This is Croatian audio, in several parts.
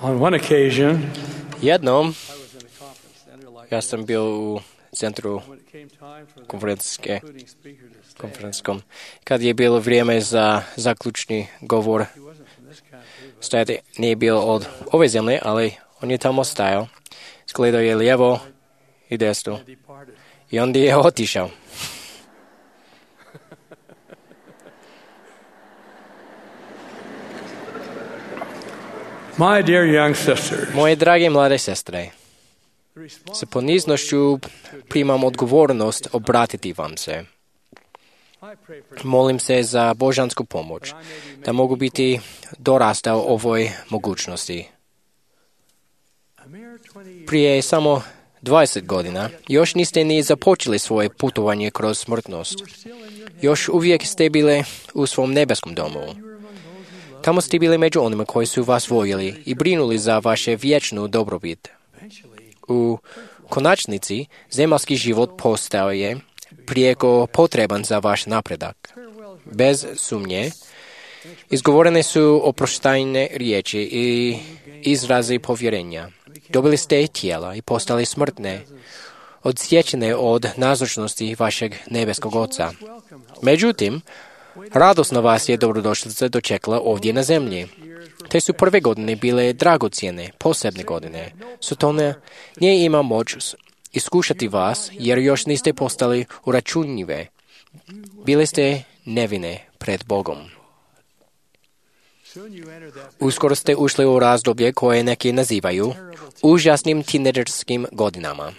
On one occasion, Jednom I was in a conference center like ja sam bio u centru when it came time for the konferencijske concluding speaker to stand. konferencijskom. Kad je bilo vrijeme za zaključni govor, He wasn't from this country, but stajati nije bio od ove zemlje, ali on je tamo stajao. Skledao je lijevo i desno. he departed. I onda je otišao. My dear young sisters, Moje drage mlade sestre, the response sa poniznošću primam odgovornost obratiti vam se. I pray for Molim se za božansku pomoć, da mogu biti dorastao ovoj mogućnosti. a mere 20 years. Prije samo 20 godina još niste ni započeli svoje putovanje kroz smrtnost. Još uvijek ste bile u svom nebeskom domu. Tamo ste bili među onima koji su vas voljeli i brinuli za vaše vječnu dobrobit. U konačnici, zemaljski život postao je prijeko potreban za vaš napredak. Bez sumnje, izgovorene su oproštajne riječi i izrazi povjerenja. Dobili ste tijela i postali smrtne, odsječene od nazočnosti vašeg nebeskog Oca. Međutim, radosno vas je dobrodošlica dočekala ovdje na zemlji. Te su prve godine bile dragocjene, posebne godine. Sotona nije ima moć iskušati vas, jer još niste postali uračunljive. Bili ste nevine pred Bogom. Uskoro ste ušli u razdoblje koje neki nazivaju užasnim tinejdžerskim godinama.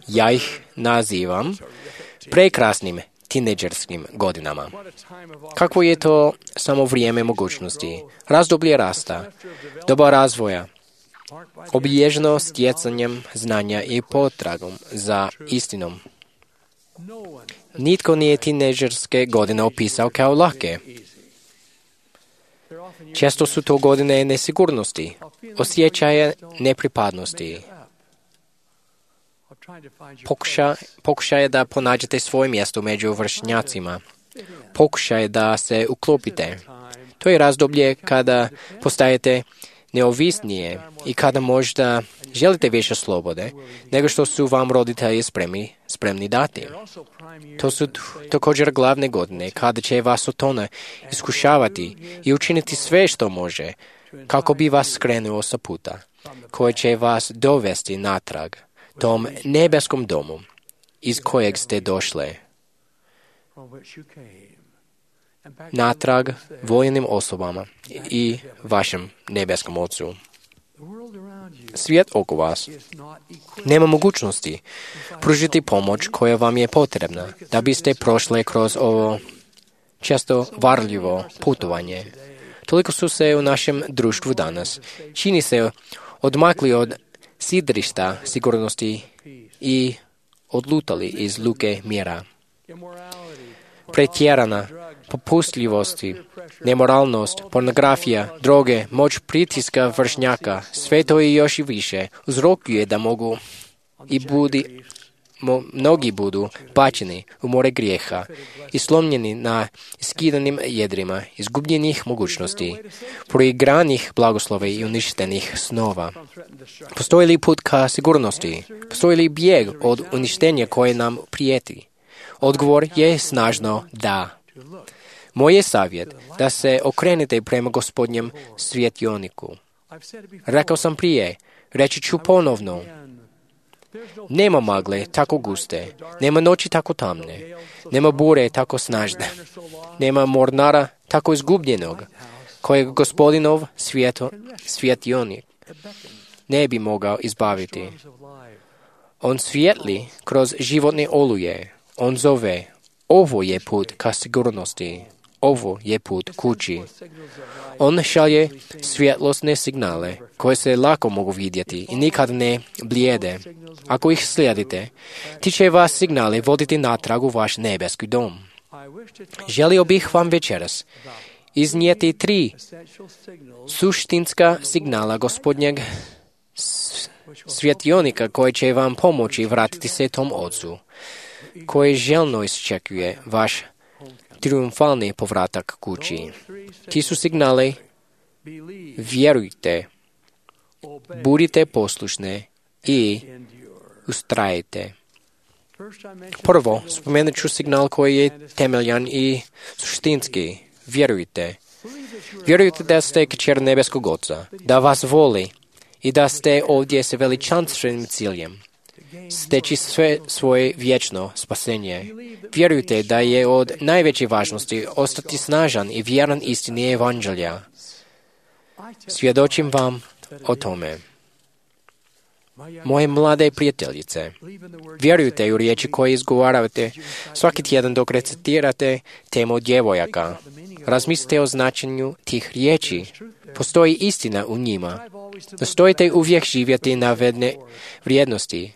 Ja ih nazivam prekrasnim tinejdžerskim godinama. Kakvo je to samo vrijeme mogućnosti, razdoblje rasta, doba razvoja, obilježeno stjecanjem znanja i potragom za istinom. Nitko nije tinejdžerske godine opisao kao lake. Često su to godine nesigurnosti, osjećaja nepripadnosti, pokušaje da pronađete svoje mjesto među vršnjacima, pokušaje da se uklopite. To je razdoblje kada postajete neovisnije i kada možda želite više slobode nego što su vam roditelji spremni dati. To su također glavne godine kada će vas Sotona iskušavati i učiniti sve što može kako bi vas skrenuo sa puta, koje će vas dovesti natrag tom nebeskom domu iz kojeg ste došli, natrag voljenim osobama i vašem nebeskom Ocu. Svijet oko vas nema mogućnosti pružiti pomoć koja vam je potrebna da biste prošli kroz ovo često varljivo putovanje. Toliko su se u našem društvu danas čini se odmakli od sidrišta sigurnosti i odlutali iz luke mira. Pretjerana popustljivosti, nemoralnost, pornografija, droge, moć pritiska vršnjaka, sve to i još i više uzrokuje da mnogi budu bačeni u more grijeha i slomljeni na iskidanim jedrima, izgubljenih mogućnosti, proigranih blagoslova i uništenih snova. Postoji li put ka sigurnosti? Postoji li bijeg od uništenja koje nam prijeti? Odgovor je snažno da. Moj je savjet da se okrenete prema Gospodnjem svjetioniku. Rekao sam prije, reći ću ponovno. Nema magle tako guste, nema noći tako tamne, nema bure tako snažne, nema mornara tako izgubljenog, kojeg Gospodinov svjetionik ne bi mogao izbaviti. On svijetli kroz životne oluje, on zove, ovo je put ka sigurnosti, ovo je put kući. On šalje svjetlosne signale koje se lako mogu vidjeti i nikad ne blijede. Ako ih slijedite, ti će vas signale voditi natrag u vaš nebeski dom. Želio bih vam večeras iznijeti 3 suštinska signala Gospodnjeg svjetionika koji će vam pomoći vratiti se tom Ocu, koji željno iščekuje vaš triumfalni povratak kući. Ti su signali: vjerujte, Budite poslušni i ustrajite. Prvo, spomenut ću signal koji je temeljan i suštinski. Vjerujte. Vjerujte da ste kćer nebeskog Oca, da vas voli i da ste ovdje sa veličanstvenim ciljem. Steći sve svoje vječno spasenje. Vjerujte da je od najveće važnosti ostati snažan i vjeran istini evanđelja. Svjedočim vam o tome. Moje mlade prijateljice, vjerujte u riječi koje izgovaravate svaki tjedan dok recitirate temu djevojaka. Razmislite o značenju tih riječi. Postoji istina u njima. Nastojite uvijek živjeti navedene vrijednosti.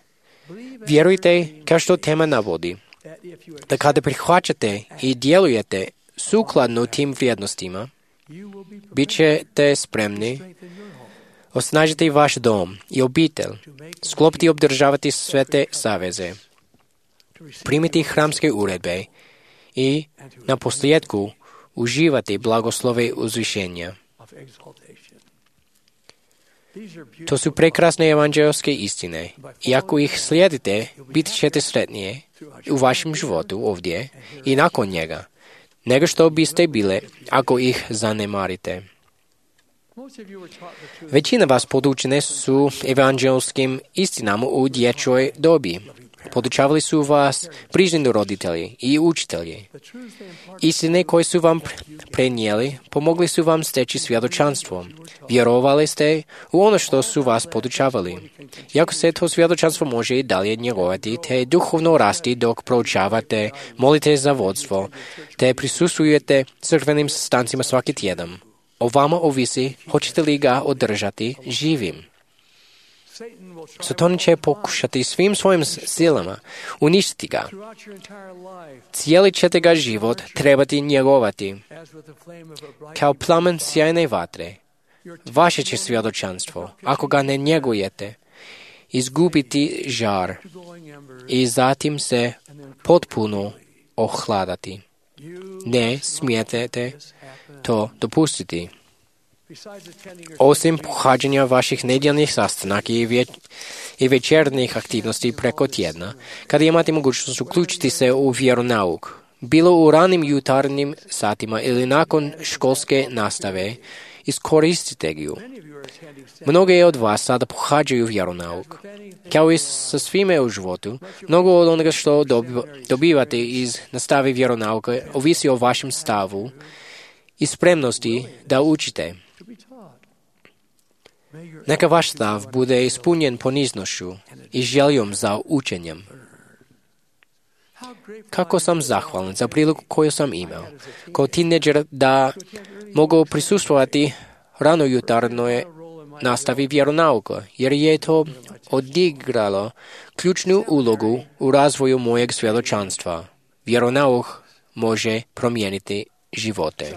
Vjerujte, kao što tema navodi, da kada prihvaćate i djelujete sukladno tim vrijednostima, bit ćete spremni osnažiti vaš dom i obitelj, sklopiti i obdržavati sve te saveze, primiti hramske uredbe i na posljedku uživati blagoslove uzvišenja. To su prekrasne evanđelske istine i ako ih slijedite, bit ćete sretnije u vašem životu ovdje i nakon njega, nego što biste bile ako ih zanemarite. Većina vas podučene su evanđelskim istinama u dječjoj dobi. Podučavali su vas brižni roditelji i učitelji. Istine koje su vam prenijeli pomogli su vam steći svjedočanstvo. Vjerovali ste u ono što su vas podučavali. Iako se to svjedočanstvo može i dalje njegovati, te duhovno rasti dok proučavate, molite za vodstvo, te prisustvujete crkvenim sastancima svaki tjedan. O vama ovisi hoćete li ga održati živim. Satan će pokušati svim svojim silama uništiti ga. Cijeli ćete ga život trebati njegovati. Kao plamen sjajne vatre, vaše će svjedočanstvo, ako ga ne njegujete, izgubiti žar i zatim se potpuno ohladati. Ne smijete to dopustiti. Osim pohađanja vaših nedjeljnih sastanaka i večernjih aktivnosti preko tjedna, kada imate mogućnost uključiti se u vjeronauk, bilo u ranim jutarnjim satima ili nakon školske nastave, iskoristite ju. Mnogi od vas sada pohađaju vjeronauk. Kao i sa svime u životu, mnogo od onoga što dobivate iz nastave vjeronauka ovisi o vašem stavu i spremnosti da učite. Neka vaš stav bude ispunjen poniznošću i željom za učenjem. Kako sam zahvalan za priliku koju sam imao kao tineđer da mogu prisustvovati ranojutarnoj nastavi vjeronauka, jer je to odigralo ključnu ulogu u razvoju mojeg svjedočanstva. Vjeronauk može promijeniti živote.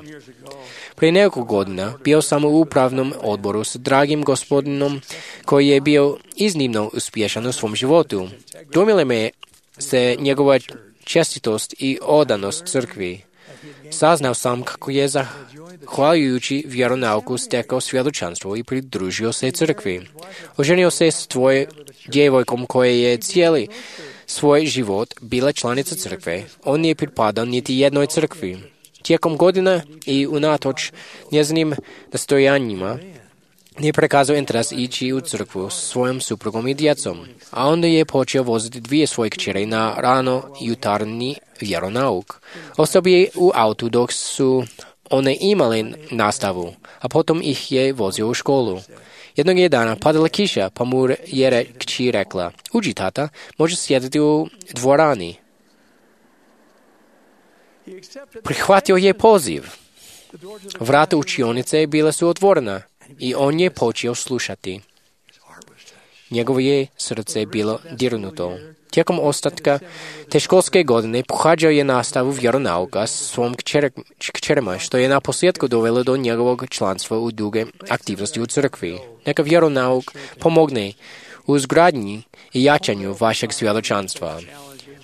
Prije nekoliko godina bio sam u upravnom odboru s dragim gospodinom koji je bio iznimno uspješan u svom životu. Dojmile me se njegova čestitost i odanost crkvi. Saznao sam kako je zahvaljujući vjeronauku stekao svjedočanstvo i pridružio se crkvi. Oženio se s djevojkom koja je cijeli svoj život bila članica crkve. On nije pripadao niti jednoj crkvi. Tijekom godina i unatoč njezinim nastojanjima nije prekazao interes ići u crkvu s svojom suprugom i djecom, a onda je počeo voziti dvije svoje kćeri na rano jutarnji vjeronauk. Ostao je u autu dok su one imale nastavu, a potom ih je vozio u školu. Jednog je dana padala kiša, pa mu je kći rekla: "Uđi, tata, možeš sjediti u dvorani." Prihvatio je poziv. Vrata učionice bila su otvorena i on je počeo slušati. Njegovo je srce bilo dirnuto. Tijekom ostatka te školske godine pohađao je nastavu vjeronauka s svom kćerima, što je na posljedku dovelo do njegovog članstva u duge aktivnosti u crkvi. Neka vjeronauk pomogne u izgradnji i jačanju vašeg svjedočanstva.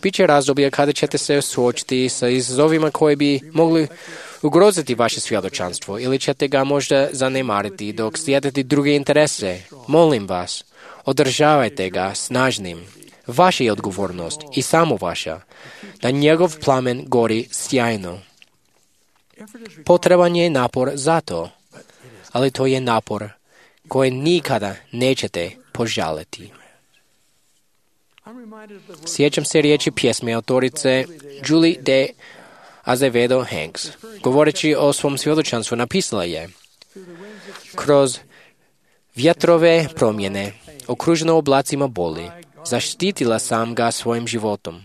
Biće razdoblje kada ćete se suočiti sa izazovima koji bi mogli ugroziti vaše svjedočanstvo ili ćete ga možda zanemariti dok slijedite druge interese. Molim vas, održavajte ga snažnim. Vaša je odgovornost i samo vaša, da njegov plamen gori sjajno. Potreban je napor za to, ali to je napor koji nikada nećete požaliti. Sjećam se riječi pjesme autorice Julie de Azevedo Hanks. Govoreći o svom svjedočanstvu napisala je: kroz vjetrove promjene, okruženo oblacima boli, zaštitila sam ga svojim životom.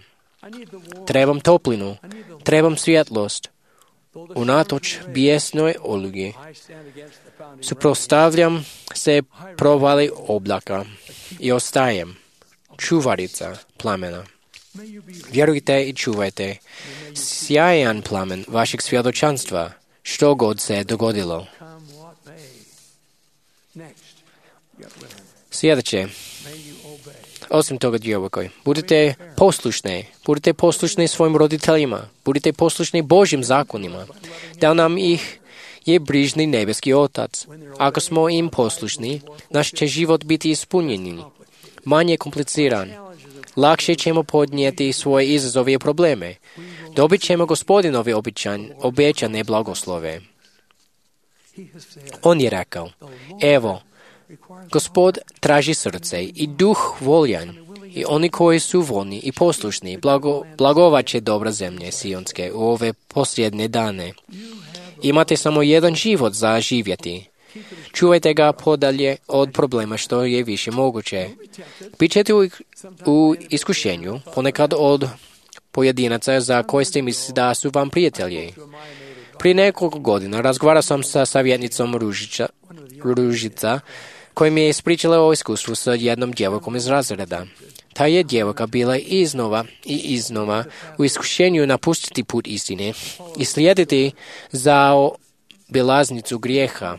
Trebam toplinu, trebam svjetlost. Unatoč bijesnoj olugi, suprotstavljam se provali oblaka i ostajem čuvarica plamena. Vjerujte i čuvajte sjajan plamen vašeg svjedočanstva, što god se dogodilo. Sljedeće, osim toga, djevojko, budite poslušni svojim roditeljima, budite poslušni Božjim zakonima, da nam ih je brižni nebeski Otac. Ako smo im poslušni, naš će život biti ispunjen, manje kompliciran. Lakše ćemo podnijeti svoje izazove i probleme. Dobit ćemo Gospodinove obećane blagoslove. On je rekao: evo, Gospod traži srce i duh voljan, i oni koji su voljni i poslušni blagovat će dobra zemlje Sionske u ove posljednje dane. Imate samo jedan život za živjeti. Čuvajte ga podalje od problema što je više moguće. Bićete u iskušenju, ponekad od pojedinaca za koje ste mislili da su vam prijatelji. Prije nekoliko godina razgovarao sam sa savjetnicom Ružica, koja mi je ispričala o iskustvu sa jednom djevojkom iz razreda. Ta je djevojka bila iznova i iznova u iskušenju napustiti put istine i slijediti za obilaznicu grijeha.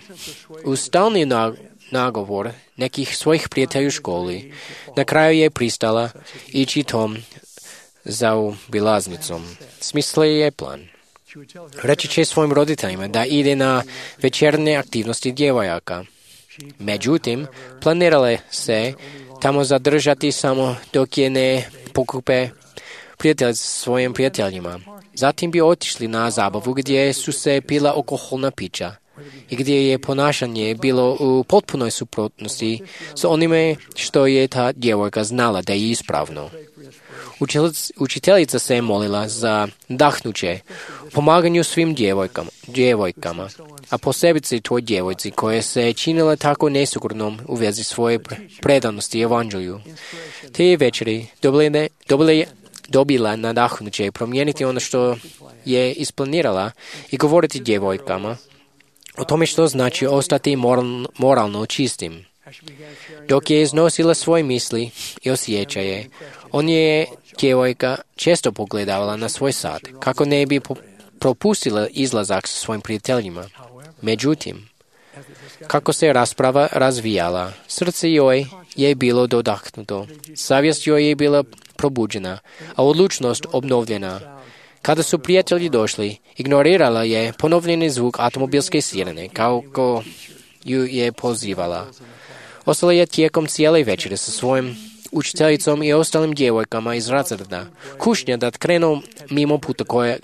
Uz stalni nagovor nekih svojih prijatelja u školi, na kraju je pristala ići tom za obilaznicom. Smislila je plan. Reći će svojim roditeljima da ide na večernje aktivnosti djevojaka. Međutim, planirale se tamo zadržati samo dok je ne pokupe prijatelj s svojim prijateljima. Zatim bi otišli na zabavu gdje su se pila alkoholna pića i gdje je ponašanje bilo u potpunoj suprotnosti s onime što je ta djevojka znala da je ispravno. Učiteljica se je molila za nadahnuće pomaganju svim djevojkama, a posebice toj djevojci koja se činila tako nesigurnom u vezi svoje predanosti evanđelju. Te večeri dobila nadahnuće promijeniti ono što je isplanirala i govoriti djevojkama o tome što znači ostati moralno čistim. Dok je iznosila svoje misli i osjećaje, on je djevojka često pogledavala na svoj sat, kako ne bi propustila izlazak sa svojim prijateljima. Međutim, kako se rasprava razvijala, srce joj je bilo dodahnuto, savjest joj je bila probuđena, a odlučnost obnovljena. Kada su prijatelji došli, ignorirala je ponovljeni zvuk automobilske sirene, kako ju je pozivala. Ostala je tijekom cijele večere sa svojim učiteljicom i ostalim djevojkama iz razreda. Kušnja da krenu mimo puta koje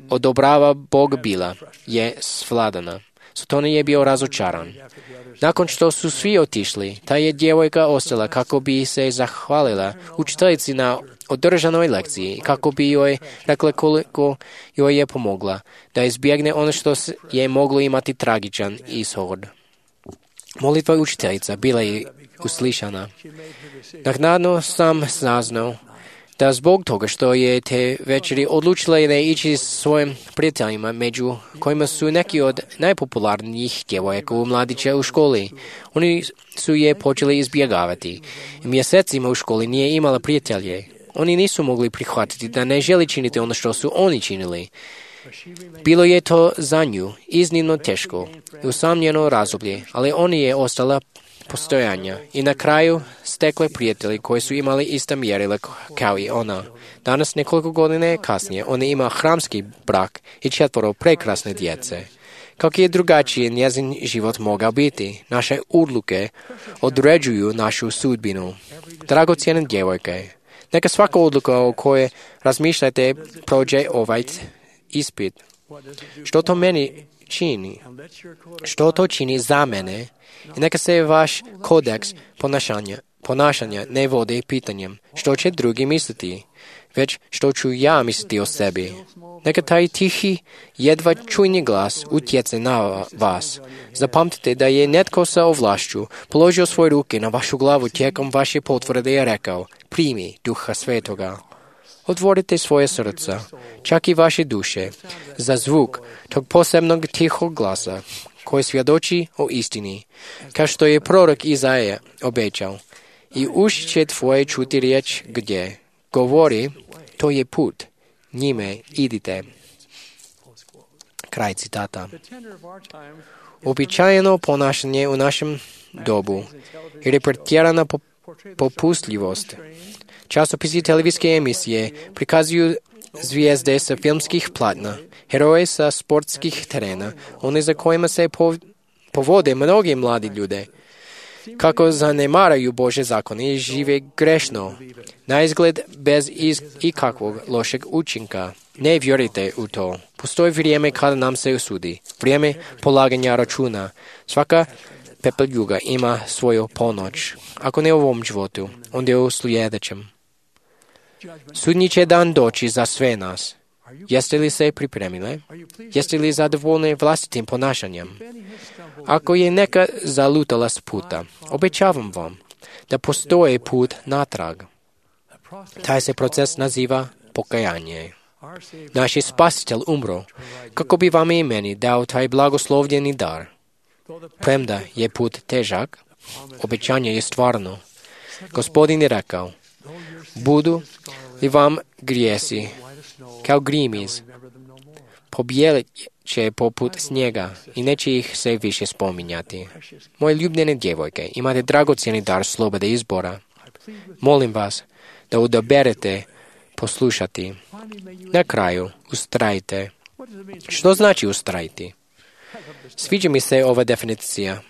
odobrava Bog bila je svladana. Satan je bio razočaran. Nakon što su svi otišli, ta je djevojka ostala kako bi se zahvalila učiteljici na održanoj lekciji i kako bi joj rekla koliko joj je pomogla da izbjegne ono što je moglo imati tragičan ishod. Molitva učiteljica bila je uslišana. Naknadno sam saznao da zbog toga što je te večeri odlučila ne ići s svojim prijateljima, među kojima su neki od najpopularnijih djevojaka u mladića u školi. Oni su je počeli izbjegavati. Mjesecima u školi nije imala prijatelje. Oni nisu mogli prihvatiti da ne želi činiti ono što su oni činili. Bilo je to za nju iznimno teško i usamljeno razdoblje, ali ona je ostala postojanja. I na kraju stekle prijatelji koji su imali ista mjerila kao i ona. Danas, nekoliko godina kasnije, ona ima hramski brak i 4 prekrasne djece. Kako je drugačije njezin život mogao biti? Naše odluke određuju našu sudbinu. Dragocjene djevojke, neka svaka odluka o kojoj razmišljate prođe ovaj ispit. Što to meni čini? Što to čini za mene? I neka se vaš kodeks ponašanja ne vodi pitanjem što će drugi misliti, već što ću ja misliti o sebi. Neka taj tihi, jedva čujni glas utjece na vas. Zapamtite da je netko sa ovlašću položio svoje ruke na vašu glavu tijekom vaše potvrde i rekao: primi Duha Svetoga. Otvorite svoje srca, čak i vaše duše, za zvuk tog posebnog tihog glasa koji svjedoči o istini, kao što je prorok Izaija obećao. I uši će tvoje čuti riječ gdje govori: to je put, njime idite. Kraj citata. Uobičajeno ponašanje u našem dobu i pretjerana popustljivost. Časopisi i televizijske emisije prikazuju zvijezde sa filmskih platna, heroje sa sportskih terena, one za kojima se povode mnogi mladi ljude, kako zanemaraju Bože zakone i žive grešno, na izgled bez ikakvog lošeg učinka. Ne vjerujte u to. Postoji vrijeme kada nam se usudi, vrijeme polaganja računa. Svaka pepeljuga ima svoju ponoć. Ako ne u ovom životu, onda u sljedećem. Sudnji će dan doći za sve nas. Jeste li se pripremile? Jeste li zadovoljni vlastitim ponašanjem? Ako je neka zalutala s puta, obećavam vam da postoji put natrag. Taj se proces naziva pokajanje. Naš je Spasitelj umro, kako bi vam i meni dao taj blagoslovljeni dar. Premda je put težak, obećanje je stvarno. Gospodin je rekao: budu li vam grijesi kao grimiz, pobijelit će poput snijega i neće ih se više spominjati. Moje ljubljene djevojke, imate dragocjeni dar slobode izbora. Molim vas da odaberete poslušati. Na kraju, ustrajte. Što znači ustrajiti? Sviđa mi se ova definicija.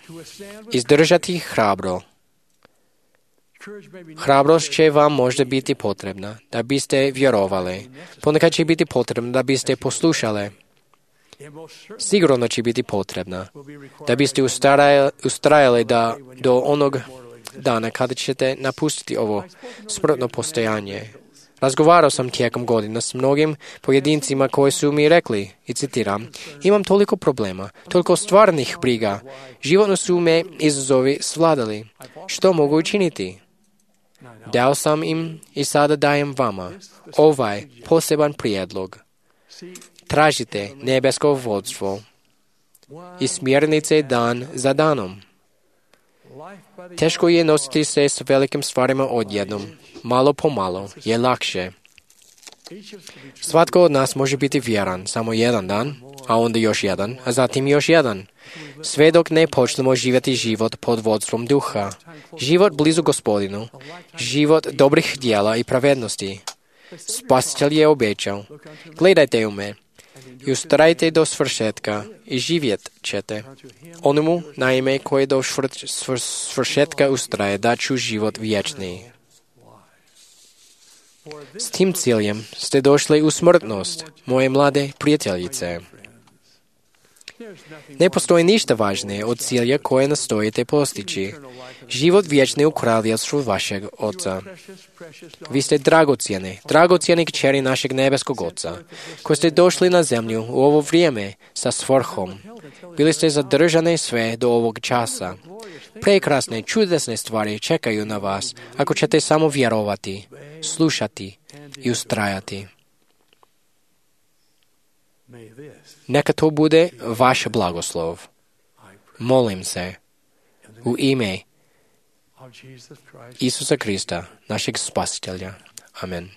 Izdržati hrabro. Hrabrost će vam možda biti potrebna da biste vjerovali. Ponekad će biti potrebna da biste poslušali. Sigurno će biti potrebna da biste ustrajali do onog dana kada ćete napustiti ovo smrtno postojanje. Razgovarao sam tijekom godina s mnogim pojedincima koji su mi rekli, i citiram: imam toliko problema, toliko stvarnih briga, životno su me izazovi svladali. Što mogu učiniti? Dao sam im i sada dajem vama ovaj poseban prijedlog. Tražite nebesko vodstvo i smjernice dan za danom. Teško je nositi se s velikim stvarima odjednom. Malo po malo je lakše. Svatko od nas može biti vjeran samo jedan dan, a onda još jedan, a zatim još jedan. Sve dok ne počnemo živjeti život pod vodstvom Duha. Život blizu Gospodinu. Život dobrih djela i pravednosti. Spasitelj je obećao: gledajte u me i ustrajte do svršetka i živjet ćete. Onomu, naime, koji do svršetka ustraje, daću život vječni. S tim ciljem ste došli u smrtnost, moje mlade prijateljice. Ne postoji ništa važnije od cilja koje nastojite postići. Život vječni u kraljevstvu vašeg Oca. Vi ste dragocjeni kćeri našeg nebeskog Oca, koji ste došli na zemlju u ovo vrijeme sa svrhom. Bili ste zadržani sve do ovog časa. Prekrasne, čudesne stvari čekaju na vas ako ćete samo vjerovati, slušati i ustrajati. Neka to bude vaš blagoslov. Molim se u ime Isusa Krista, našeg Spasitelja. Amen.